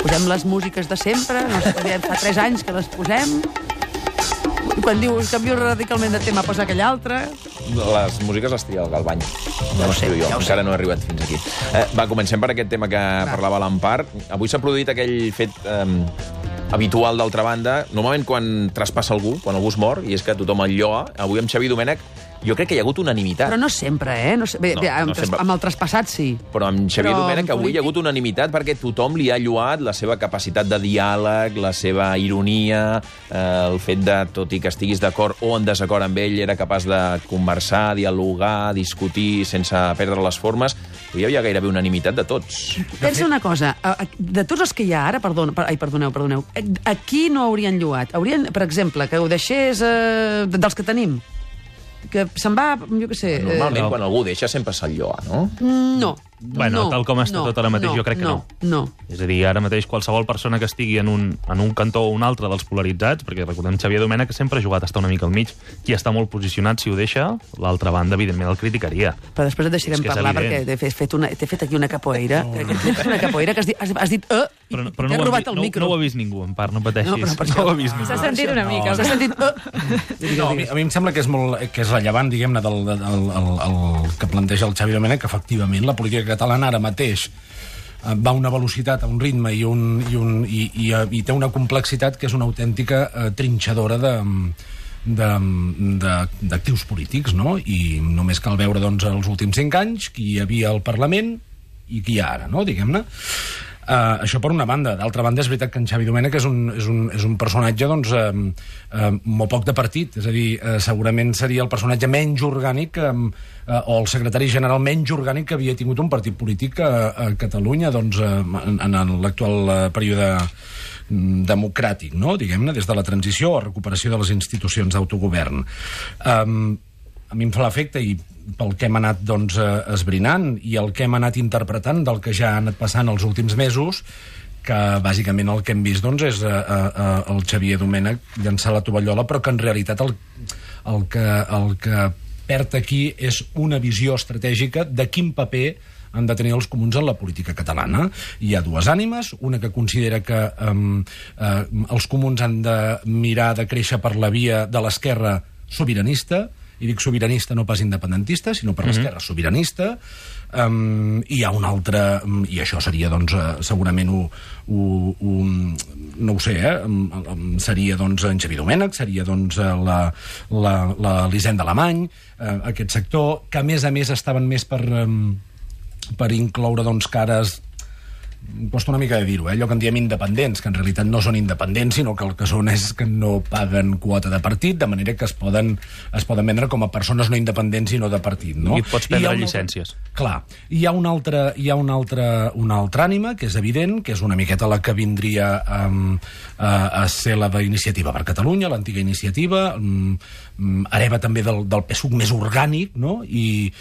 posem les músiques de sempre, fa 3 anys que les posem, i quan diu canvio radicalment de tema posa aquell altre. Les músiques les tria el Galbany. Ja ho sé, jo. Encara no he arribat fins aquí. Va, comencem per aquest tema que parlava l'Empar. Avui s'ha produït aquell fet habitual, d'altra banda, normalment quan traspassa algú, quan algú es mor, i és que tothom el lloa. Avui amb Xavier Domènech jo crec que hi ha hagut unanimitat. Però no sempre, no sempre. Amb el traspassat sí. Però amb Xavier Domènech avui hi ha hagut unanimitat perquè tothom li ha lloat la seva capacitat de diàleg, la seva ironia, el fet de, tot i que estiguis d'acord o en desacord amb ell, era capaç de conversar, dialogar, discutir sense perdre les formes. Hi havia gairebé unanimitat de tots. Pensa una cosa, de tots els que hi ha ara, perdoneu, a qui no haurien lloat? Haurien, per exemple, que ho deixés dels que tenim? Que se'n va, jo què sé... Normalment, quan algú deixa, sempre se'l lloa, no? No. Bueno, tal com està tot ara mateix, jo crec que no. No. És a dir, ara mateix qualsevol persona que estigui en un cantó o un altre dels polaritzats, perquè recordem Xavier Domènech que sempre ha jugat a estar una mica al mig, qui està molt posicionat, si ho deixa, l'altra banda, evidentment, el criticaria. Però després et deixarem parlar, perquè t'he fet aquí una capoeira, una capoeira que has dit... Però no ho ha vist ningú, en part, no pateixis. No ho ha vist ningú. S'ha sentit una mica. S'ha sentit... No, a mi em sembla que és rellevant, diguem-ne, el que planteja el Xavier Domènech, que efectivament la política catalana ara mateix va a una velocitat, a un ritme i té una complexitat que és una autèntica trinxadora d'actius polítics, no? I només cal veure, doncs, els últims 5 anys qui hi havia al Parlament i qui hi ha ara, no? Diguem-ne. Això per una banda. D'altra banda, és veritat que en Xavi Domènech és un personatge, doncs, molt poc de partit. És a dir, segurament seria el personatge menys orgànic o el secretari general menys orgànic que havia tingut un partit polític a Catalunya, doncs, en l'actual període democràtic, no? Diguem-ne, des de la transició o recuperació de les institucions d'autogovern. A mi em fa l'efecte, i pel que hem anat, doncs, esbrinant i el que hem anat interpretant del que ja ha anat passant els últims mesos, que bàsicament el que hem vist, doncs, és el Xavier Domènech llançar la tovallola, però que en realitat el que perd aquí és una visió estratègica de quin paper han de tenir els comuns en la política catalana. Hi ha dues ànimes, una que considera que els comuns han de mirar de créixer per la via de l'esquerra sobiranista, i dic sobiranista no pas independentista, sinó per l'esquerra sobiranista. Hi ha un altre, i això seria, doncs, segurament no ho sé, seria, doncs, en Xavier Domènech, seria, doncs, l'Hisenda Alemany, aquest sector, que a més estaven més per incloure, doncs, cares... Costa una mica de dir-ho, allò que en diem independents, que en realitat no són independents, sinó que el que són és que no paguen quota de partit, de manera que es poden vendre com a persones no independents i no de partit, no? I et pots prendre llicències. Clar. Hi ha una altra ànima, que és evident, que és una miqueta la que vindria a ser la d'Iniciativa per Catalunya, l'antiga Iniciativa, hereva també del PSUC més orgànic, no? I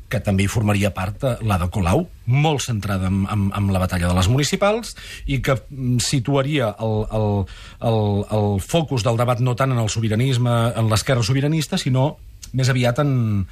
que també hi formaria part l'Ada Colau, molt centrada en la batalla de les municipals, i que situaria el focus del debat no tant en el sobiranisme, en l'esquerra sobiranista, sinó més aviat en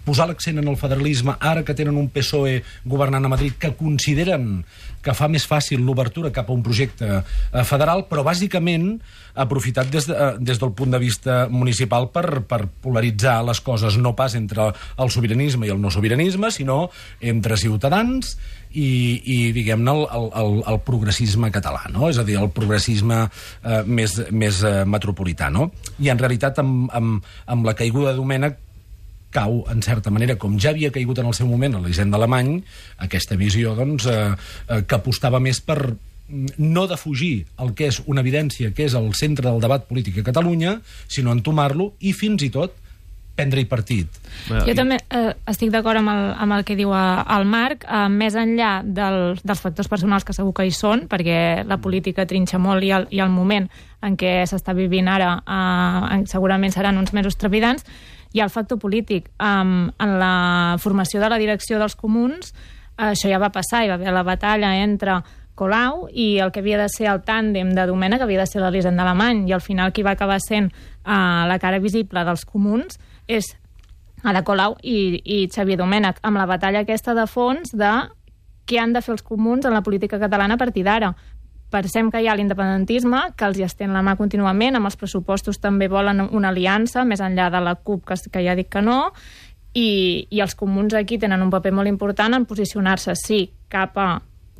posar l'accent en el federalisme, ara que tenen un PSOE governant a Madrid, que consideren que fa més fàcil l'obertura cap a un projecte federal, però bàsicament aprofitat des del punt de vista municipal per polaritzar les coses, no pas entre el sobiranisme i el no sobiranisme, sinó entre ciutadans i diguem-ne, el progressisme català, no? És a dir, el progressisme més metropolità, no? I en realitat, amb la caiguda de Domènech, cau, en certa manera, com ja havia caigut en el seu moment a l'Hisenda Alemany, aquesta visió, doncs, que apostava més per no defugir el que és una evidència, que és el centre del debat polític a Catalunya, sinó entomar-lo i, fins i tot, prendre-hi partit. Jo també estic d'acord amb el que diu el Marc, més enllà dels factors personals que segur que hi són, perquè la política trinxa molt i el moment en què s'està vivint ara segurament seran uns mesos trepidants. Hi ha el factor polític. En la formació de la direcció dels comuns, això ja va passar, hi va haver la batalla entre Colau i el que havia de ser el tàndem de Domènech, que havia de ser l'Hisenda Alemany, i al final qui va acabar sent la cara visible dels comuns és Ada Colau i Xavier Domènech, amb la batalla aquesta de fons de què han de fer els comuns en la política catalana a partir d'ara. Pensem que hi ha l'independentisme, que els hi estén la mà contínuament, amb els pressupostos també volen una aliança, més enllà de la CUP, que ja dic que no, i els comuns aquí tenen un paper molt important en posicionar-se, sí, cap a,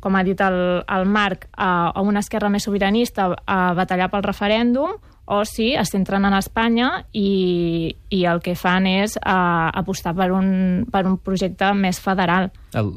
com ha dit el Marc, a una esquerra més sobiranista, a batallar pel referèndum, o sí, es centren en Espanya i el que fan és apostar per un projecte més federal.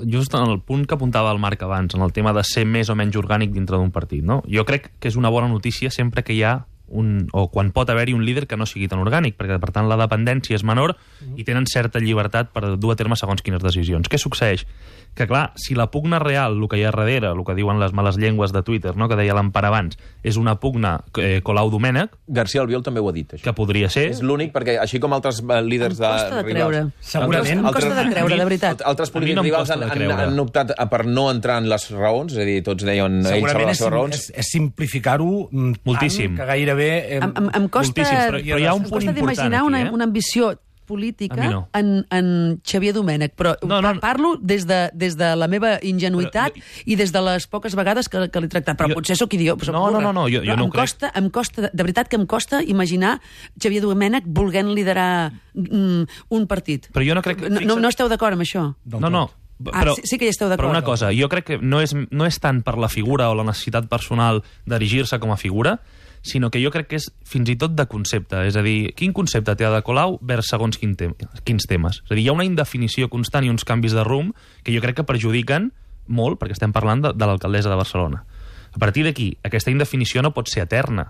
Just en el punt que apuntava el Marc abans, en el tema de ser més o menys orgànic dintre d'un partit, no? Jo crec que és una bona notícia sempre que hi ha o quan pot haver-hi un líder que no sigui tan orgànic, perquè, per tant, la dependència és menor i tenen certa llibertat per dur a terme segons quines decisions. Què succeeix? Que, clar, si la pugna real, el que hi ha darrere, el que diuen les males llengües de Twitter, no?, que deia l'Empar abans, és una pugna Colau-Domènech... García Albiol també ho ha dit, això. Que podria ser... És l'únic, perquè així com altres líders de rivals... Segurament. Em costa de creure, de veritat. Altres polítics rivals han optat per no entrar en les raons, és a dir, tots deien ells sobre les seves raons. És simplificar-ho moltíssim, que gairebé... Em costa, però hi ha un punt important d'imaginar aquí, una ambició política no. en Xavier Domènech, però parlo des de la meva ingenuïtat i des de les poques vegades que l'he tractat, però potser sóc idiot. No, jo no ho crec. Em costa, de veritat que em costa imaginar Xavier Domènech volent liderar un partit. Però jo no crec... No esteu d'acord amb això? No. Però, sí que hi esteu d'acord. Però una cosa, jo crec que no és tant per la figura o la necessitat personal d'erigir-se com a figura, sinó que jo crec que és fins i tot de concepte. És a dir, quin concepte té Ada Colau vers segons quins temes? És a dir, hi ha una indefinició constant i uns canvis de rumb que jo crec que perjudiquen molt, perquè estem parlant de l'alcaldessa de Barcelona. A partir d'aquí, aquesta indefinició no pot ser eterna.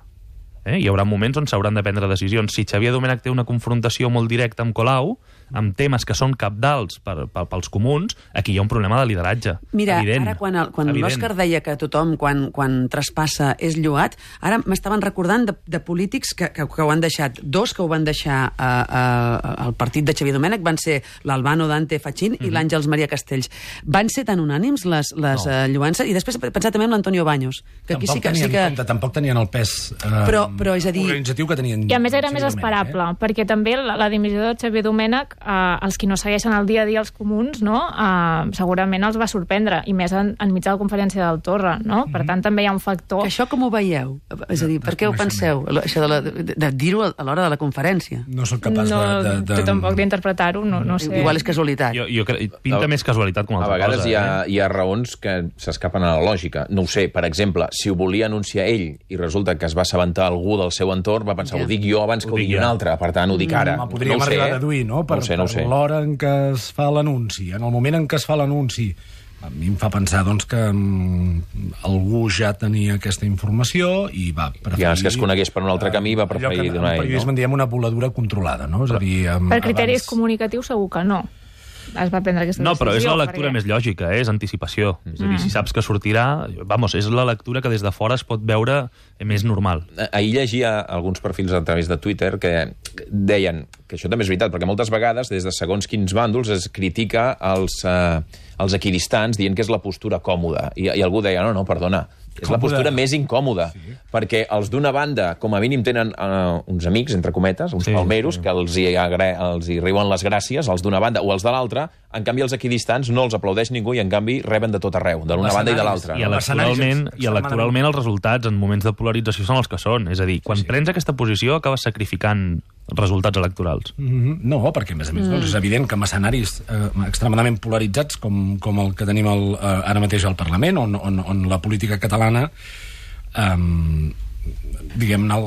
Hi haurà moments on s'hauran de prendre decisions. Si Xavier Domènech té una confrontació molt directa amb Colau, amb temes que són cabdals pels comuns, aquí hi ha un problema de lideratge. Mira, evident, ara quan l'Òscar deia que tothom quan traspassa és lloat, ara m'estaven recordant de polítics que ho han deixat. Dos que ho van deixar al partit de Xavier Domènech van ser l'Albano Dante Fachin i l'Àngels Maria Castells. Van ser tan unànims les lloances? I després pensar també en l'Antonio Baños, que aquí sí que... Tampoc tenien el pes però és a dir... organitzatiu que tenien... I a més era més esperable, perquè també la dimissió de Xavier Domènech, els qui no segueixen el dia a dia els comuns, no? Segurament els va sorprendre, i més enmig de la conferència del Torra, no? Per tant, també hi ha un factor... Això com ho veieu? És a dir, per què ho penseu? Això de dir-ho a l'hora de la conferència? No soc capaç de... Jo tampoc d'interpretar-ho, no sé. Igual és casualitat. Jo pinta més casualitat com altra cosa. A vegades hi ha raons que s'escapen a la lògica. No ho sé, per exemple, si ho volia anunciar ell i resulta que es va assabentar algú del seu entorn, va pensar, ho dic jo abans que ho digui un altre, per tant ho dic ara. Podríem arribar a deduir, no? Per l'hora en què es fa l'anunci, en el moment en què es fa l'anunci. A mi em fa pensar doncs, que algú ja tenia aquesta informació i va preferir... Ja, és que es conegués per un altre camí, va preferir donar ell. En periodisme en diem una voladura controlada, no? És a dir, per criteris comunicatius segur que no. Es va prendre aquesta decisió. No, però és la lectura més lògica, és anticipació. És a dir, si saps que sortirà... és la lectura que des de fora es pot veure més normal. Ahir llegia alguns perfils a través de Twitter que deien que això també és veritat, perquè moltes vegades, des de segons quins bàndols, es critica els equidistants dient que és la postura còmoda. I algú deia, no, perdona, és la postura més incòmoda, perquè els d'una banda, com a mínim, tenen uns amics, entre cometes, uns palmeros, que els hi riuen les gràcies, els d'una banda o els de l'altra. En canvi, els equidistants no els aplaudeix ningú i, en canvi, reben de tot arreu, de l'una banda i de l'altra. I electoralment els resultats en moments de polarització són els que són. És a dir, quan prens aquesta posició acabes sacrificant resultats electorals. No, perquè, a més, és evident que amb escenaris extremadament polaritzats com el que tenim ara mateix al Parlament, on la política catalana diguem-ne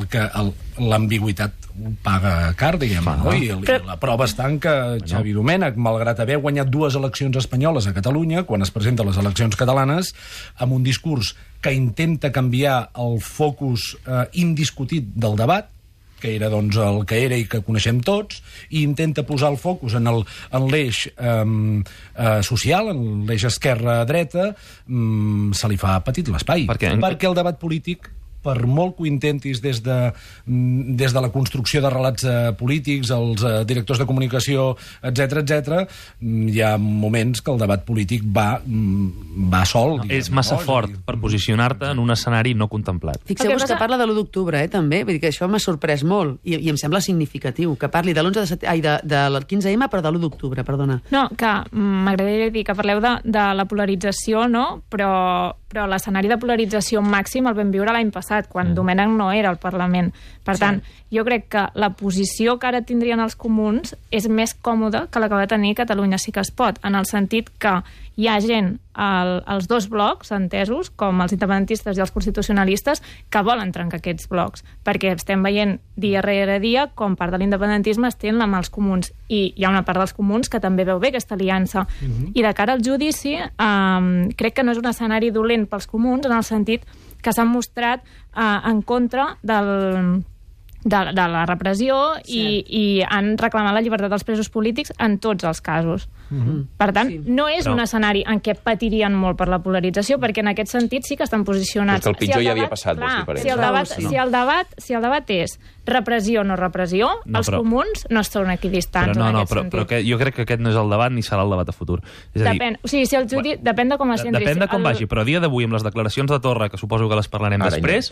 l'ambigüitat paga car, diguem-ne, no? I la prova està en que Xavi Domènech, malgrat haver guanyat 2 eleccions espanyoles a Catalunya, quan es presenta a les eleccions catalanes, amb un discurs que intenta canviar el focus indiscutit del debat, que era doncs, el que era i que coneixem tots, i intenta posar el focus en l'eix social, en l'eix esquerra-dreta, se li fa petit l'espai. Perquè el debat polític per molt que ho intentis des de la construcció de relats polítics, els directors de comunicació, etc, hi ha moments que el debat polític va sol. És massa fort per posicionar-te en un escenari no contemplat. Fixeu-vos que parla de l'1 d'octubre, també. Vull dir que això m'ha sorprès molt i em sembla significatiu, que parli de del 15M, però de l'1 d'octubre, perdona. No, que m'agradaria dir que parleu de la polarització, no? Però l'escenari de polarització màxim el vam viure l'any passat, quan Domènech no era al Parlament. Per tant, jo crec que la posició que ara tindrien els comuns és més còmoda que la que va tenir Catalunya Sí que es pot, en el sentit que hi ha gent als dos blocs, entesos, com els independentistes i els constitucionalistes, que volen trencar aquests blocs, perquè estem veient dia rere dia com part de l'independentisme es tenen amb els comuns, i hi ha una part dels comuns que també veu bé aquesta aliança. I de cara al judici, crec que no és un escenari dolent pels comuns, en el sentit que s'han mostrat en contra de la repressió i han reclamat la llibertat dels presos polítics en tots els casos. Per tant, no és un escenari en què patirien molt per la polarització, perquè en aquest sentit sí que estan posicionats. Però que el pitjor ja havia passat, vols dir, per ells. Si el debat és repressió o no repressió, els comuns no són equidistants en aquest sentit. Però jo crec que aquest no és el debat ni serà el debat a futur. Depèn de com es centri. Depèn de com vagi, però a dia d'avui, amb les declaracions de Torra, que suposo que les parlarem després,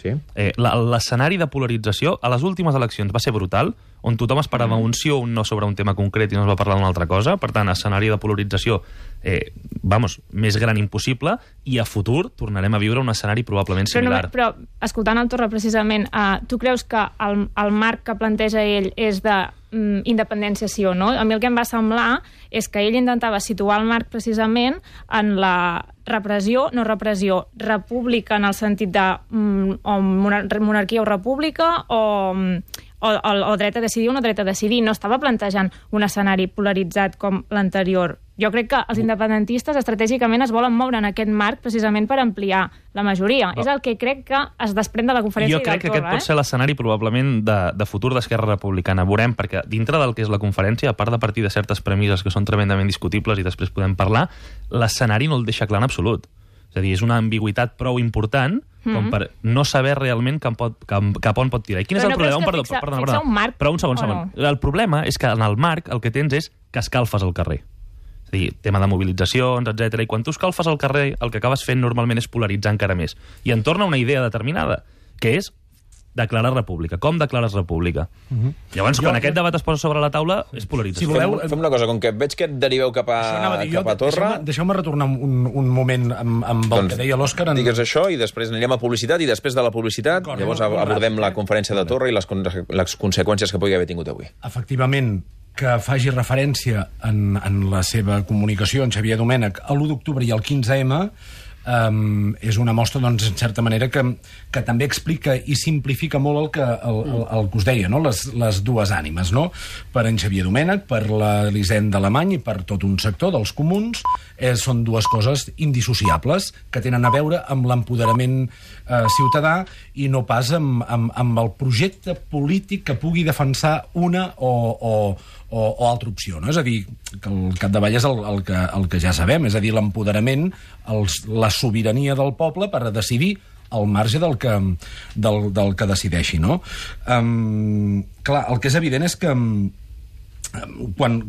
l'escenari de polarització a les últimes eleccions va ser brutal, on tothom esperava un sí o un no sobre un tema concret i no es va parlar d'una altra cosa. Per tant, escenari de polarització més gran impossible, i a futur tornarem a viure un escenari probablement similar. Però escoltant el Torra, precisament, tu creus que el marc que planteja ell és de independència sí o no? A mi el que em va semblar és que ell intentava situar el marc precisament en la repressió, no repressió, república en el sentit de monarquia o república, o dret a decidir o no dret a decidir. No estava plantejant un escenari polaritzat com l'anterior. Jo crec que els independentistes estratègicament es volen moure en aquest marc precisament per ampliar la majoria. És el que crec que es desprèn de la conferència del Torra. Jo crec que aquest pot ser l'escenari probablement de futur d'Esquerra Republicana. Veurem, perquè dintre del que és la conferència, a part de partir de certes premisses que són tremendament discutibles i després podem parlar, l'escenari no el deixa clar en absolut. És a dir, és una ambigüitat prou important com per no saber realment cap on pot tirar. I quin és el problema? Perdona. Però un segon. El problema és que en el marc el que tens és que escalfes al carrer. És a dir, tema de mobilitzacions, etc. I quan tu escalfes al carrer, el que acabes fent normalment és polaritzar encara més. I en torna una idea determinada, que és declarar república. Com declares república? Llavors, quan aquest debat es posa sobre la taula, és polarització. Si voleu, fem una cosa, com que veig que et deriveu cap a Torra... Deixeu-me retornar un moment amb el que deia l'Òscar. Digues això i després anirem a publicitat, i després de la publicitat llavors abordem la conferència de Torra i les conseqüències que pugui haver tingut avui. Efectivament, que faci referència en la seva comunicació, en Xavier Domènech, a l'1 d'octubre i al 15M, és una mostra, doncs, en certa manera, que també explica i simplifica molt el que us deia, no? Les dues ànimes, no? Per en Xavier Domènech, per l'Elisenda Alemany i per tot un sector dels comuns, són dues coses indissociables que tenen a veure amb l'empoderament ciutadà i no pas amb el projecte polític que pugui defensar una o altra opció, no? És a dir, que al capdavall és el que ja sabem, és a dir, l'empoderament, la sobirania del poble per decidir al marge del que decideixi, no? Clar, el que és evident és que quan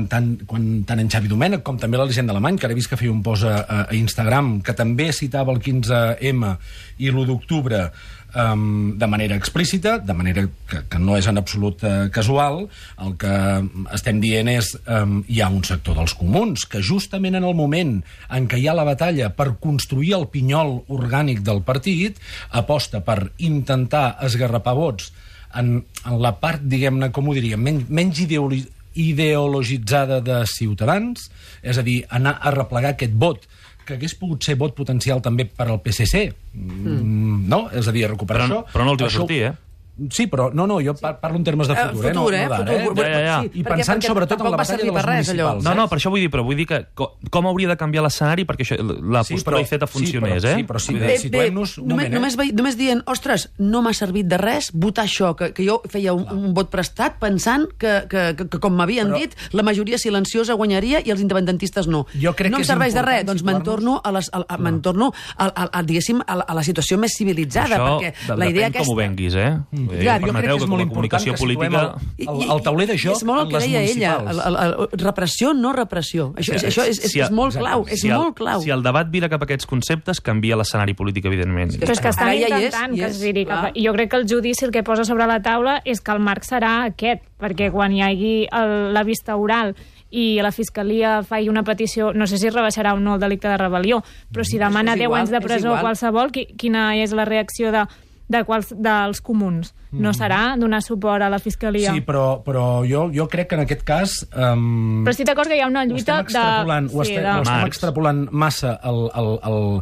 tant en Xavi Domènech com també l'Elisenda Alemany, que ara he vist que feia un post a Instagram, que també citava el 15M i l'1 d'octubre de manera explícita, de manera que no és en absolut casual, el que estem dient és hi ha un sector dels comuns que justament en el moment en què hi ha la batalla per construir el pinyol orgànic del partit aposta per intentar esgarrapar vots en la part, diguem-ne, com ho diríem, menys ideologitzada de Ciutadans, és a dir, anar a replegar aquest vot que hagués pogut ser vot potencial també per al PSC, no? És a dir, recuperar això... Però no els va sortir, Sí, però no, jo parlo en termes de futur, futur, no d'ara. Ja. I pensant sobretot en la batalla de les municipals. No, per això vull dir que com hauria de canviar l'escenari perquè la postura Iceta funcionés, Sí, però situem-nos un moment. Només dient, ostres, no m'ha servit de res votar això, que jo feia un vot prestat pensant que com m'havien dit, la majoria silenciosa guanyaria i els independentistes no. Jo crec no em serveix de res, doncs me'n torno a la situació més civilitzada, perquè la idea aquesta... Això depèn com ho venguis, Permeteu que com a comunicació política... El tauler de joc és molt el que deia ella, repressió, no repressió. Això és molt clau, és molt clau. Si el debat vira cap a aquests conceptes, canvia l'escenari polític, evidentment. Però és que estan intentant que es viri cap a... I jo crec que el judici el que posa sobre la taula és que el marc serà aquest, perquè quan hi hagi la vista oral i la Fiscalia faci una petició, no sé si rebaixarà o no el delicte de rebel·lió, però si demana 10 anys de presó o qualsevol, quina és la reacció dels comuns? No serà donar suport a la Fiscalia? Sí, però jo crec que en aquest cas... Però estic d'acord que hi ha una lluita ho estem extrapolant massa al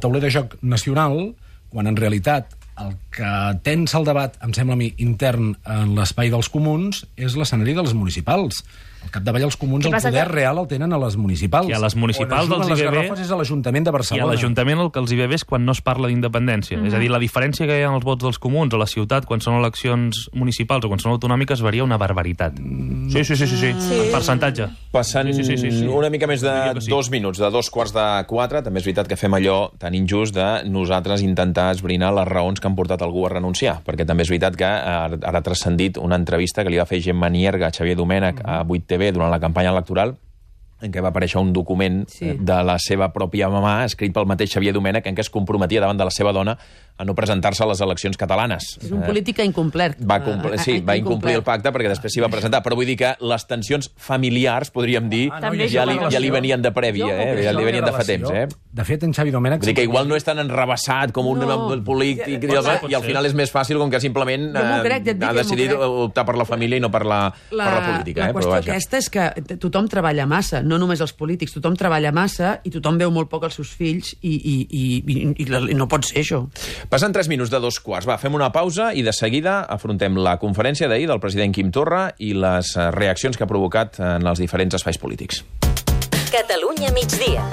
tauler de joc nacional, quan en realitat el que tensa el debat, em sembla a mi, intern en l'espai dels comuns, és l'escenari dels municipals. Al capdavall els comuns el poder real el tenen a les municipals. I a les municipals els hi ve bé... és a l'Ajuntament de Barcelona. I a l'Ajuntament el que els hi ve bé és quan no es parla d'independència. És a dir, la diferència que hi ha en els vots dels comuns a la ciutat quan són eleccions municipals o quan són autonòmiques varia una barbaritat. Sí. En percentatge. Passant una mica més de 2 minuts, de 3:45, també és veritat que fem allò tan injust de nosaltres intentar esbrinar les raons que han portat algú a renunciar, perquè també és veritat que ara ha transcendit una entrevista que li va fer Gemma Nierga a Xavier Domènech a 8TV durant la campanya electoral, en què va aparèixer un document de la seva pròpia mamà, escrit pel mateix Xavier Domènech, en què es comprometia davant de la seva dona a no presentar-se a les eleccions catalanes. És un polític incomplert. Va incomplir el pacte perquè després s'hi va presentar, però vull dir que les tensions familiars, podríem dir, ja li venien de prèvia, ja li venien de fa temps. De fet, en Xavi Domènech... Vull dir que igual no és tan enrebaçat com un polític, i al final és més fàcil com que simplement ha decidit optar per la família i no per la política. La qüestió aquesta és que tothom treballa massa, no només els polítics, tothom treballa massa i tothom veu molt poc els seus fills i no pot ser això. Passen 3 minuts de 2:15. Va, fem una pausa i de seguida afrontem la conferència d'ahir del president Quim Torra i les reaccions que ha provocat en els diferents espais polítics. Catalunya migdia.